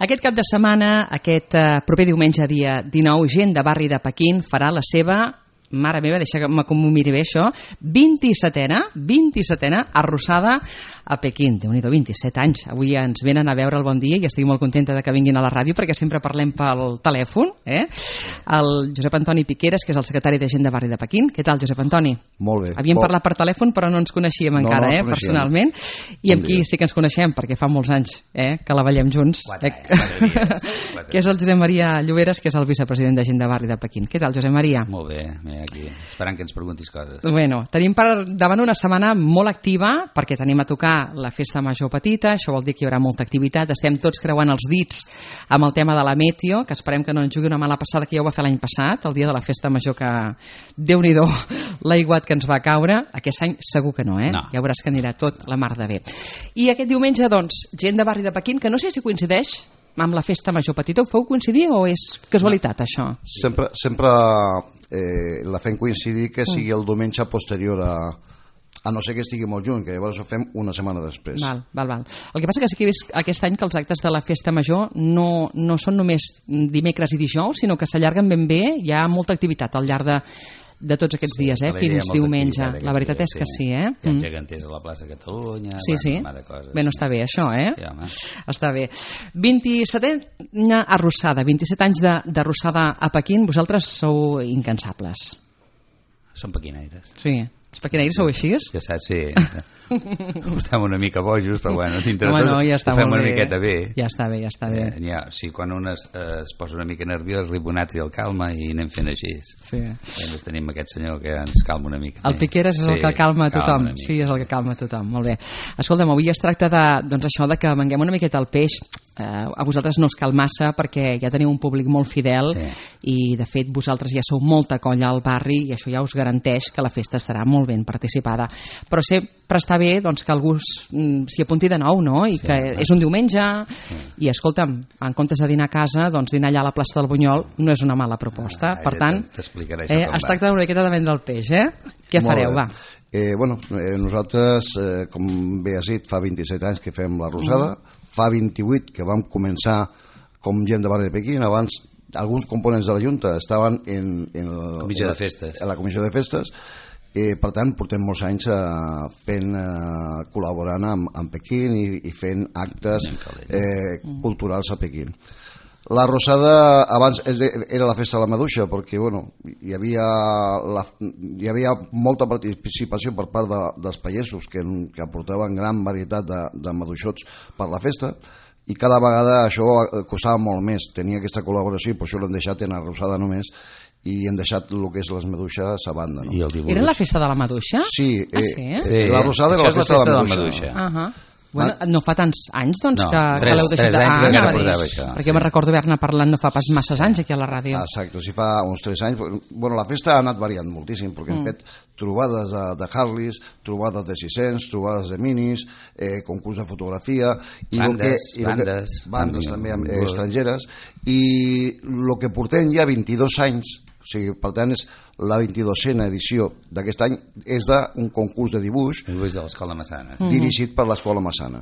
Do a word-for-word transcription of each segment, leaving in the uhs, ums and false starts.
Aquest cap de setmana, aquest eh, proper diumenge, dia dinou, gent de barri de Pequín farà la seva, mare meva, deixa que m'ho miri bé això, vint-i-setena, vint-i-setena arrossada a Pequín. Déu-n'hi-do, vint-i-set anys. Avui ens venen a veure el Bon Dia i estic molt contenta de que vinguin a la ràdio perquè sempre parlem pel telèfon. Eh? El Josep Antoni Piqueras, que és el secretari de gent de barri de Pequín. Què tal, Josep Antoni? Molt bé. Havíem oh. parlat per telèfon però no ens coneixíem no, encara, no eh, personalment. I amb qui sí que ens coneixem, perquè fa molts anys eh, que la ballem junts. Quatre, eh? quatre dies, quatre que és el Josep Maria Lloberes, que és el vicepresident de gent de barri de Pequín. Què tal, Josep Maria? Molt bé, mira aquí, esperant que ens preguntis coses. Bueno, tenim per davant una setmana molt activa perquè tenim a tocar la festa major petita, això vol dir que hi haurà molta activitat, estem tots creuant els dits amb el tema de la meteo, que esperem que no ens jugui una mala passada, que ja ho va fer l'any passat, el dia de la festa major, que Déu-n'hi-do l'aiguat que ens va caure. Aquest any segur que no, eh? No. Ja veuràs que anirà tot la mar de bé. I aquest diumenge, doncs, gent de barri de Pequín, que no sé si coincideix amb la festa major petita, ho feu coincidir o és casualitat, això? Sempre, sempre eh, la fem coincidir que sigui el diumenge posterior a, a no ser que estigui molt juny, que llavors ho fem una setmana després. Val, val, val. El que passa que sí que he vist aquest any que els actes de la festa major no, no són només dimecres i dijous, sinó que s'allarguen ben bé, hi ha molta activitat al llarg de de tots aquests dies, eh? Fins diumenge. La veritat és que sí, eh? Hi ha geganters a la plaça Catalunya, sí, sí. de coses. Bé, no està bé això, eh? Sí, home. Està bé. vint-i-setena arrossada, vint-i-set anys d'arrossada a Pequín, vosaltres sou incansables. Som pequinaires. Sí. Els pequinaires sou així? Ja saps, sí. Estem una mica bojos, però bueno, dintre Home, tot no, ja està ho fem molt una bé. miqueta bé. Ja està bé, ja està bé. Eh, ja, sí, quan un es, eh, es posa una mica nerviós, ribonat i el calma i anem fent així. Sí. Llavors tenim aquest senyor que ens calma una mica. El Piqueras és sí, el que calma a tothom. Calma sí, és el que calma a tothom. Molt bé. Escolta'm, avui es tracta de, doncs això, de que venguem una miqueta el peix. Eh, a vosaltres no us cal massa perquè ja teniu un públic molt fidel sí. I de fet vosaltres ja sou molta colla al barri i això ja us garanteix que la festa estarà molt ben participada, però sempre està bé doncs, que algú s'hi apunti de nou, no? I sí, que sí. És un diumenge sí. I escolta'm, en comptes de dinar a casa doncs dinar allà a la plaça del Bunyol no és una mala proposta, ah, per tant eh, es tracta una miqueta de vendre el peix, eh? Què molt fareu, bé. va? Eh, bueno, eh, nosaltres eh, com bé has dit, fa vint-i-set anys que fem la rosada, mm. fa vint-i-vuit que vam començar com gent de barri de Pequín. Abans alguns components de la Junta estaven en, en, el, comissió en, de festes. en la comissió de festes, eh, per tant portem molts anys eh, fent, eh, col·laborant amb, amb Pequín i, i fent actes eh, culturals a Pequín. La rosada abans era la festa de la maduixa perquè bueno, hi, havia la, hi havia molta participació per part de, dels pagesos que, que aportaven gran varietat de, de maduixots per la festa i cada vegada això costava molt més, tenia aquesta col·laboració i per això l'hem deixat en la rosada només i hem deixat el que és les maduixes a banda, no? Era la festa de la maduixa? Sí, eh, ah, sí? Eh, la rosada era la festa, la festa de la maduixa, de la maduixa. Uh -huh. Bueno, no fa tants anys doncs, no, que, tres, que l'heu deixat tres anys ah, que encara dir, portava això perquè sí. me'n recordo haver-ne parlant no fa pas masses anys aquí a la ràdio. Exacte, sí, fa uns tres anys. Bueno, la festa ha anat variant moltíssim perquè mm. hem fet trobades de, de Harleys, trobades de sis cents, trobades de minis, eh, concurs de fotografia i bandes, que, i bandes, que, bandes també eh, estrangeres i el que portem ja vint-i-dos anys, o sigui, per tant és la vint-i-dosena edició d'aquest any, és d'un concurs de dibuix, dibuix de l'Escola Massana sí. dirigit per l'Escola Massana.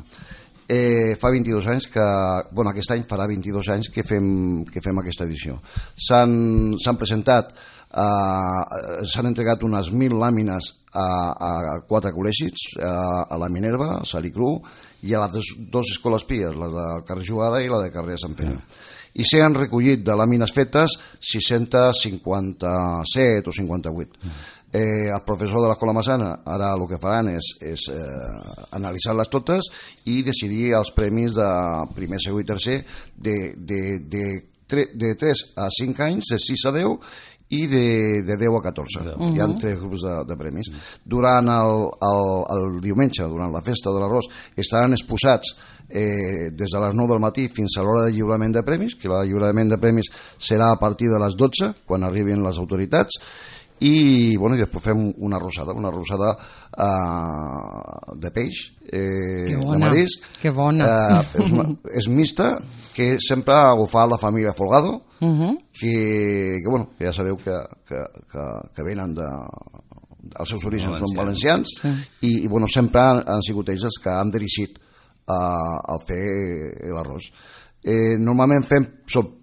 Eh, fa vint-i-dos anys que, bueno, aquest any farà vint-i-dos anys que fem, que fem aquesta edició. S'han presentat, eh, s'han entregat unes mil làmines a, a quatre col·legis, a, a la Minerva, a Salicru i a les dues escoles pies, la de carrer Jugada i la de carrer Sant Pere. Mm. I s'han recollit de làmines fetes sis-cents cinquanta-set o cinquanta-vuit. Mm. Eh, el professor de l'Escola Massana ara el que faran és, és eh, analitzar-les totes i decidir els premis de primer, segon i tercer de, de, de, de, de tres a cinc anys, de sis a deu i de, de deu a catorze. Uh-huh. Hi ha tres grups de, de premis. Durant el, el, el diumenge, durant la festa de l'arròs, estaran exposats eh, des de les nou del matí fins a l'hora de lliurament de premis, que el lliurament de premis serà a partir de les dotze, quan arribin les autoritats, i, bueno, i després fem una rosada, una rosada uh, de peix, eh, de marisc. Que bona. Uh, és, una, és mixta, que sempre ho fa la família Folgado, uh-huh. que, que, bueno, que ja sabeu que, que, que, que venen de... Els seus orígens valencians. Són valencians sí. i, i bueno, sempre han, han sigut ells els que han dirigit uh, a fer l'arròs. Eh, normalment fem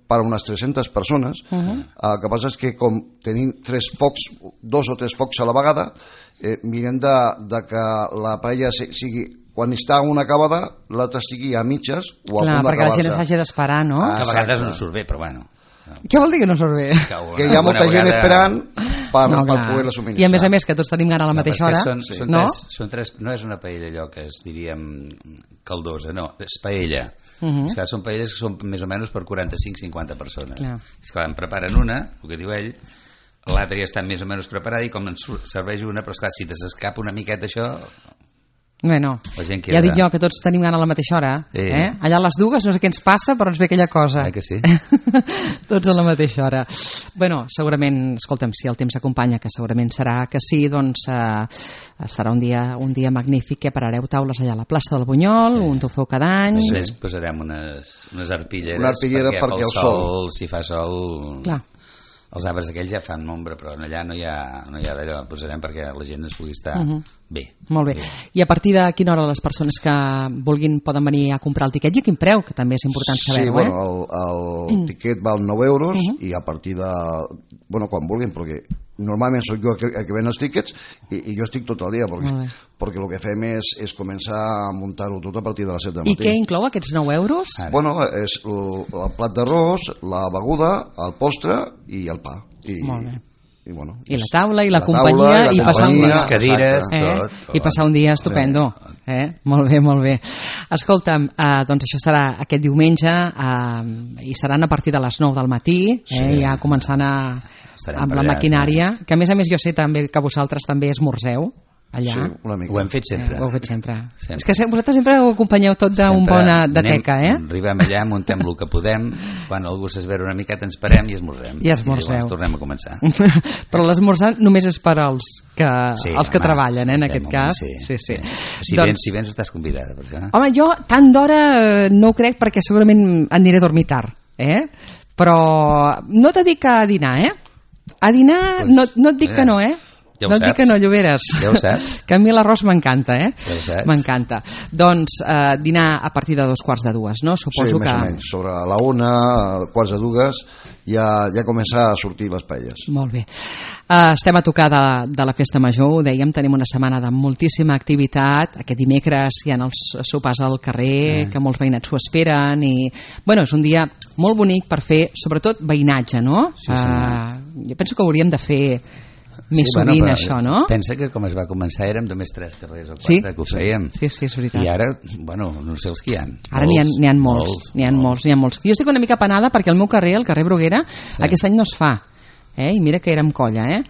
per unes tres-centes persones. Uh -huh. El que passa és que com tenim tres focs, dos o tres focs a la vegada, eh, mirem de, de que la paella sigui, quan està una acabada, l'altra sigui a mitges o a Clar, punt perquè la gent d'acabar-se. s'hagi d'esperar, no? Ah, Que a vegades no surt bé, però bueno. Què vol dir que no surt bé? Que hi ha molta gent esperant per, No, per clar. poder-la subministrar. I a més a més que tots tenim gana a la No, mateixa perquè hora, són, són no? Tres, són tres, no és una paella allò que es diríem caldosa, no, és paella. Uh -huh. És que són paelles que són més o menys per quaranta-cinc a cinquanta persones. Clar. És que en preparen una, el que diu ell, l'altra ja està més o menys preparada i com en serveix una, però esclar, si t'escapa una miqueta això... Bueno, La gent ja queda- dic jo que tots tenim gana a la mateixa hora. Sí. Eh? Allà a les dues no sé què ens passa, però ens ve aquella cosa. Eh que sí? Tots a la mateixa hora. Bueno, segurament, escolta'm, si el temps acompanya, que segurament serà que sí, doncs eh, serà un dia, un dia magnífic que parareu taules allà a la plaça del Bunyol, un tofeu cada any. Després posarem unes, unes arpilleres Una arpillera perquè pel el sol. si fa sol... Clar. Els arbres aquells ja fan ombra, però allà no hi ha, no hi ha d'allò. Posarem perquè la gent es pugui estar Uh -huh. bé. Molt bé. bé. I a partir de quina hora les persones que vulguin poden venir a comprar el tiquet i a quin preu, que també és important Sí, saber-ho, bueno, eh? el, el tiquet val nou euros Uh -huh. i a partir de... Bueno, quan vulguin, perquè normalment sóc jo el que, el que ven els tiquets i, i jo estic tot el dia, perquè, Molt bé. perquè el que fem és, és començar a muntar-ho tot a partir de les set del I matí. què inclou aquests nou euros? Ara. Bueno, és el, el plat d'arròs, la beguda, el postre i el pa. I, Molt bé. I, bueno, I la taula, i la, la companyia, taula, i la i passar un companyia, dia... Les cadires, Eh? tot, tot. I passar un dia estupendo. Eh? Molt bé, molt bé. Escolta'm, eh, doncs això serà aquest diumenge eh, i seran a partir de les nou del matí, eh? Sí. Ja començant a, Estarem amb per la allà, maquinària, que a més a més jo sé també que vosaltres també esmorzeu allà. sí, una mica. Ho hem fet sempre. Eh, ho heu fet sempre. Sempre. És que se- vosaltres sempre ho acompanyeu tot d'un Sempre bona de anem- teca, eh? Arribem allà, muntem el que podem, quan algú s'esvera una miqueta ens parem i esmorzem. I esmorzeu. llavors tornem a començar. Però l'esmorzar només és per als que, Sí, els que home, treballen, eh, en de aquest moment, cas. sí, sí, sí. Si, Doncs- vens, si vens estàs convidada per això. Home, jo tant d'hora eh, no ho crec perquè segurament aniré a dormir tard, eh? Però no t'he dit que a dinar, eh? A dinar Pues, no, no et dic eh, que no, eh? ja ho no et dic saps. que no, Lloberes. Ja ho saps. Que a mi l'arròs m'encanta, eh? Ja ho saps. M'encanta. Doncs eh, dinar a partir de dos quarts de dues, no? Suposo Sí, més que... o menys. Sobre la una, quarts de dues, ja, ja comença a sortir les paelles. Molt bé. Uh, estem a tocar de, de la Festa Major, ho dèiem, tenim una setmana de moltíssima activitat. Aquest dimecres hi ha els sopars al carrer, mm. que molts veïnats ho esperen, i bueno, és un dia molt bonic per fer, sobretot, veïnatge, no? Sí, sí. Uh, jo penso que hauríem de fer més Sí, sovint però això, no? Pensa que com es va començar érem només tres carrers o quatre Sí. que ho fèiem. Sí, sí, és veritat. I ara, bueno, no sé els que hi ha. Ara n'hi ha, n'hi ha molts, n'hi ha molts, n'hi ha molts. Jo estic una mica penada perquè el meu carrer, el carrer Bruguera, sí. aquest any no es fa. Eh? I mira que érem colla, eh?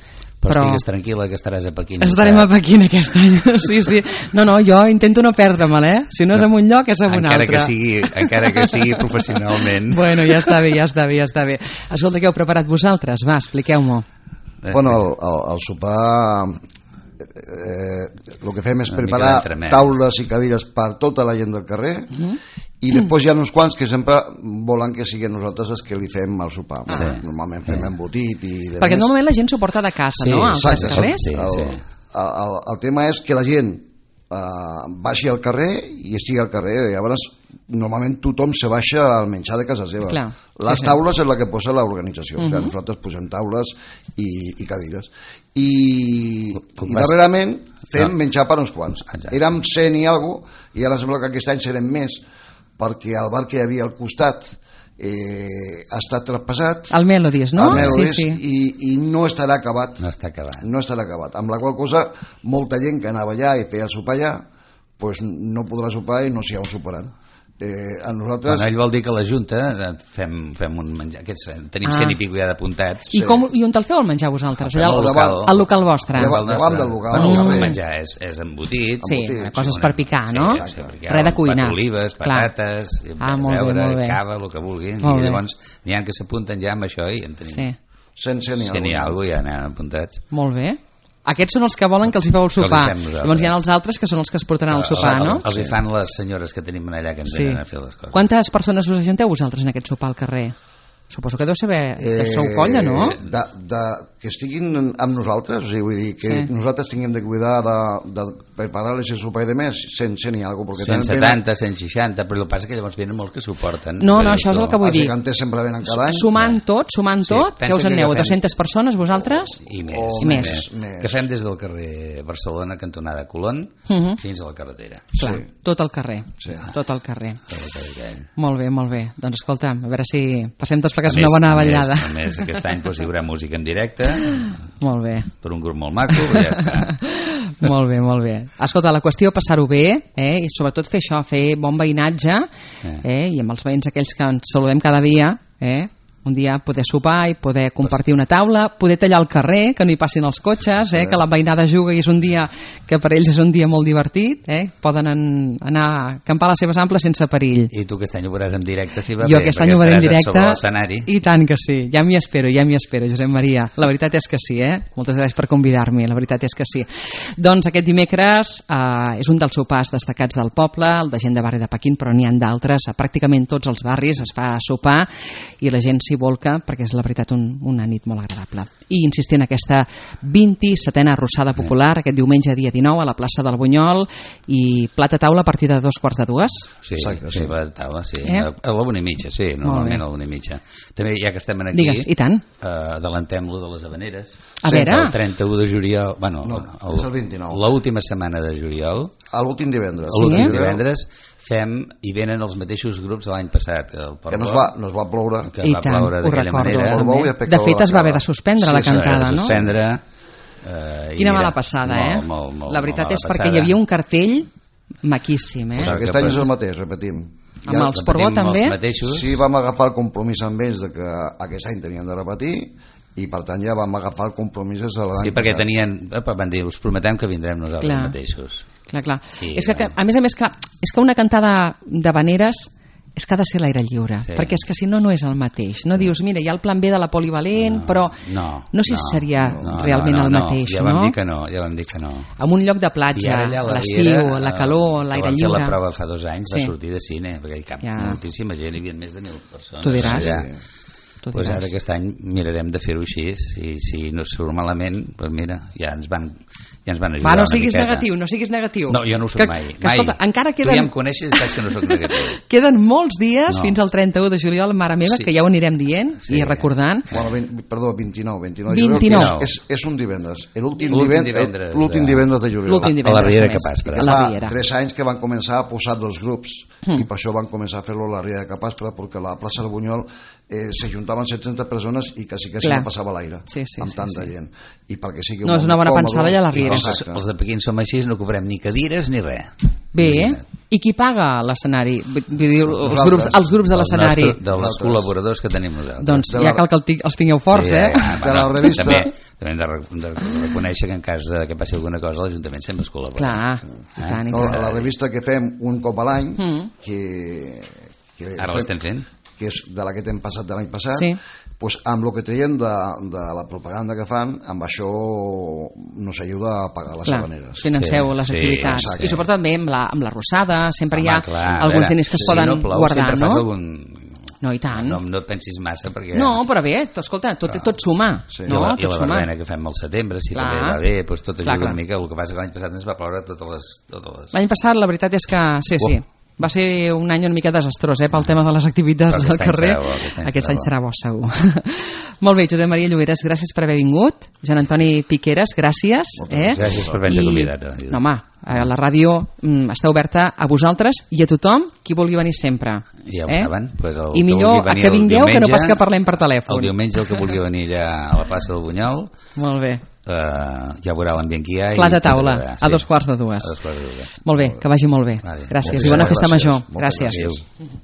Però, Però estigues tranquil·la que estaràs a Pequín. estarem a Pequín aquest any. Sí, sí. No, no, jo intento no perdre-me'l, eh? Si no és en un lloc, és en un encara altre. que sigui, encara que sigui professionalment. Bueno, ja està bé, ja està bé, ja està bé. Escolta, què heu preparat vosaltres? Va, expliqueu-m'ho. Bueno, el, el, el sopar... Eh, el que fem és Una mica preparar d'entremès. taules i cadires per tota la gent del carrer uh -huh. i després hi ha uns quants que sempre volen que siguin nosaltres els que li fem el sopar. Ah. Bueno, normalment fem sí. embotit i... de Perquè més. normalment la gent s'ho porta de casa, Sí, no? Als exacte, carrers? sí. el, el, el, el tema és que la gent uh, baixi al carrer i estigui al carrer. Llavors, normalment tothom se baixa al menjar de casa seva. Clar, Les sí, sí. taules és la que posa l'organització. Uh -huh. O sigui, Mhm. nosaltres posem taules i, i cadires. I, Com i vas- darrerament fem Ah. menjar per uns quants. Exacte. Érem cent i alguna cosa, i ara sembla que aquest any serem més, perquè el bar que hi havia al costat eh, ha estat traspassat. El Melodies, no? el Melodies, Sí, sí. I, i no estarà acabat. No està acabat. No estarà acabat. Amb la qual cosa, molta gent que anava allà i feia el sopar allà, pues no podrà sopar i no s'hi ha on soparan. Eh, a nosaltres... Bueno, ell vol dir que a la Junta eh, fem, fem un menjar, aquests, eh, tenim Ah. cent i pico ja d'apuntats. I, com, I on te'l feu el menjar vosaltres? Fem Allà al al local. local, al local vostre? Davant- davant del local, Bueno, al el carrer. menjar és, és embotit. Sí, embotit, coses sí, per picar, no? Sí, sí, per picar, Res de un cuinar. plat d'olives, Clar. patates, Ah, molt bé, beure, molt bé. cava, el que vulguin. Molt I bé. llavors n'hi ha que s'apunten ja amb això i en tenim. Sí, cent, cent i Si n'hi ha alguna. alguna cosa ja n'han apuntats. molt bé. Aquests són els que volen que els hi feu el Que els hi sopar. fem nosaltres. Llavors hi ha els altres que són els que es portaran el sopar, no? Els hi fan les senyores que tenim allà que ens Sí. venen a fer les coses. Quantes persones us ajunteu vosaltres en aquest sopar al carrer? Suposo que deu ser bé, eh, sou colla, no? De, de, que estiguin amb nosaltres, o sigui, vull dir, que sí. nosaltres tinguem de cuidar de, de preparar-les el sopar i de més, cent, cent i alguna cosa. cent setanta, cent seixanta, però el que passa és que llavors venen molts que suporten. No, no, això és el que vull dir. Els geganters sempre venen cada any. Sumant tot, sumant sí, tot, que us en aneu? dues-centes persones, vosaltres? I més. O I més. més. més. Que fem des del carrer Barcelona, cantonada Colón, uh -huh. fins a la carretera. Clar, sí. tot el carrer. Sí. Tot el carrer. Tot el carrer. Molt bé, molt bé. Doncs escolta'm, a veure si passem tots plegats una bona ballada. A més, aquest any doncs, hi haurà música en directe. Molt bé. Per un grup molt maco, ja està. Molt bé, molt bé. Escolta, la qüestió passar-ho bé, eh? I sobretot fer això, fer bon veïnatge, eh? I amb els veïns aquells que ens saludem cada dia, eh? Un dia poder sopar i poder compartir una taula, poder tallar el carrer, que no hi passin els cotxes, eh? Que la veïnada juga i és un dia que per ells és un dia molt divertit, eh? Poden en, anar a acampar a les seves amples sense perill. I tu aquest any ho veuràs en directe, si va jo bé, aquest any ho veuré en directe, i tant que sí, ja m'hi espero, ja m'hi espero, Josep Maria. La veritat és que sí, eh? Moltes gràcies per convidar-me, la veritat és que sí. Doncs aquest dimecres eh, és un dels sopars destacats del poble, el de gent de barri de Pequín, però n'hi ha d'altres, a pràcticament tots els barris es fa sopar i la gent s'hi volca perquè és la veritat un, una nit molt agradable. I insistir en aquesta vint-i-setena arrossada popular aquest diumenge dia dinou a la plaça del Bunyol i plat a taula a partir de dos quarts de dues. Sí, Exacte, sí, plat a taula, sí. Eh? A la una i mitja, sí, normalment a la una i mitja. També ja que estem aquí, Digues, i tant. Eh, adelantem-lo de les Havaneres. A sí, veure. El trenta-u de juliol, bueno, no, el, és el vint-i-nou. L'última setmana de juliol. L'últim divendres. L'últim sí? divendres fem i venen els mateixos grups de l'any passat. El que no es va, no es va ploure. Que es va ploure d'aquella manera. De fet es va haver de suspendre sí, la cantada, no? Suspendre, eh, Quina mala passada, eh? Molt, molt, molt, la veritat és passada. Perquè hi havia un cartell maquíssim, eh? Pues aquest any és el mateix, repetim. Amb ja els Portbó també? Sí, vam agafar el compromís amb ells de que aquest any tenien de repetir i per tant ja vam agafar el compromís de l'any Sí, perquè tenien, van dir, us prometem que vindrem nosaltres clar. mateixos. Clar, clar. I, és que, que, a més a més, clar, és que una cantada d'havaneres és que ha de ser l'aire lliure, sí. perquè és que si no, no és el mateix. No dius, mira, hi ha el plan B de la polivalent, no, però no, no sé no, si seria no, realment no, no, el mateix, no? Ja vam dir que no, ja vam dir que no. En un lloc de platja, a l'estiu, la calor, l'aire lliure... Vam fer la prova fa dos anys, sí. va sortir de cine, perquè hi cap ja. moltíssima gent, hi havia més de mil persones. Tu diràs. Ja. Pues diràs. Ara aquest any mirarem de fer-ho així i si no surt malament, pues mira, ja ens van, ja ens van ajudar. Va, no siguis negatiu, no siguis negatiu. No, jo no ho soc que, mai. Que, escolta, mai. Encara queden... Tu ja em coneixes i saps que no soc negatiu. Queden molts dies no. fins al trenta-u de juliol, mare meva, sí. que ja ho anirem dient sí. i recordant. Bueno, vint, perdó, vint-i-nou. vint-i-nou, vint-i-nou. Juliol, és, és un divendres. L'últim divendres, divendres, divendres de juliol. L'últim divendres. A la Riera de Capaspre. Fa tres anys que van començar a posar dos grups mm. i per això van començar a fer-lo a la Riera de Capaspre perquè a la plaça del Bunyol eh, s'ajuntaven set-centes persones i quasi quasi no passava l'aire sí, sí, amb sí, tanta sí. gent i perquè sigui no és una bona còmode, pensada ja a la Riera. Els, els de Pequín som així, no cobrem ni cadires ni res. Bé, eh? I qui paga l'escenari? Vull dir, els grups, els grups de l'escenari dels col·laboradors que tenim nosaltres. Doncs ja cal que els tingueu forts, sí, eh? Ja, de la revista també, també hem de, de reconèixer que en cas de que passi alguna cosa l'Ajuntament sempre es col·labora. Clar, eh? i tant, i no, la revista que fem un cop a l'any mm. que, que ara l'estem fent que és de la que t'hem passat de l'any passat sí. pues amb el que traiem de, de la propaganda que fan, amb això nos ajuda a pagar les havaneres. Financeu sí, les sí, activitats. exacte. I sobretot també amb la, amb la rosada, sempre home, hi ha clar, alguns veure, diners que es si poden no plou, guardar, no? Algun... No, i tant. No, no et pensis massa perquè... No, però bé, escolta, tot, tot suma. Sí. No, I la, tot i la verbena que fem al setembre, si clar. també va bé, doncs tot ajuda clar, clar. una mica. El que passa que l'any passat ens va ploure totes les... Totes les... L'any passat la veritat és que... Sí, sí. Oh. Va ser un any una mica desastrós, eh, pel tema de les activitats al carrer. Serà bo, aquest any, aquest any serà bo, serà bo segur. Molt bé, Josep Maria Lloberes, gràcies per haver vingut. Joan Antoni Piqueras, gràcies. Eh? Gràcies per haver-nos convidat. No, home, la ràdio mm, està oberta a vosaltres i a tothom qui vulgui venir sempre. Ja ho eh? saben. Pues el I millor que, que vingueu diumenge, que no pas que parlem per telèfon. El diumenge el que vulgui venir allà a la plaça del Bunyol. Molt bé. Uh, ja veurà l'ambient que hi ha. Plat de taula, sí. a dos quarts de dues. A dos quarts de dues. Molt bé, que vagi molt bé. Vale. Gràcies i bona festa major. Gràcies. gràcies.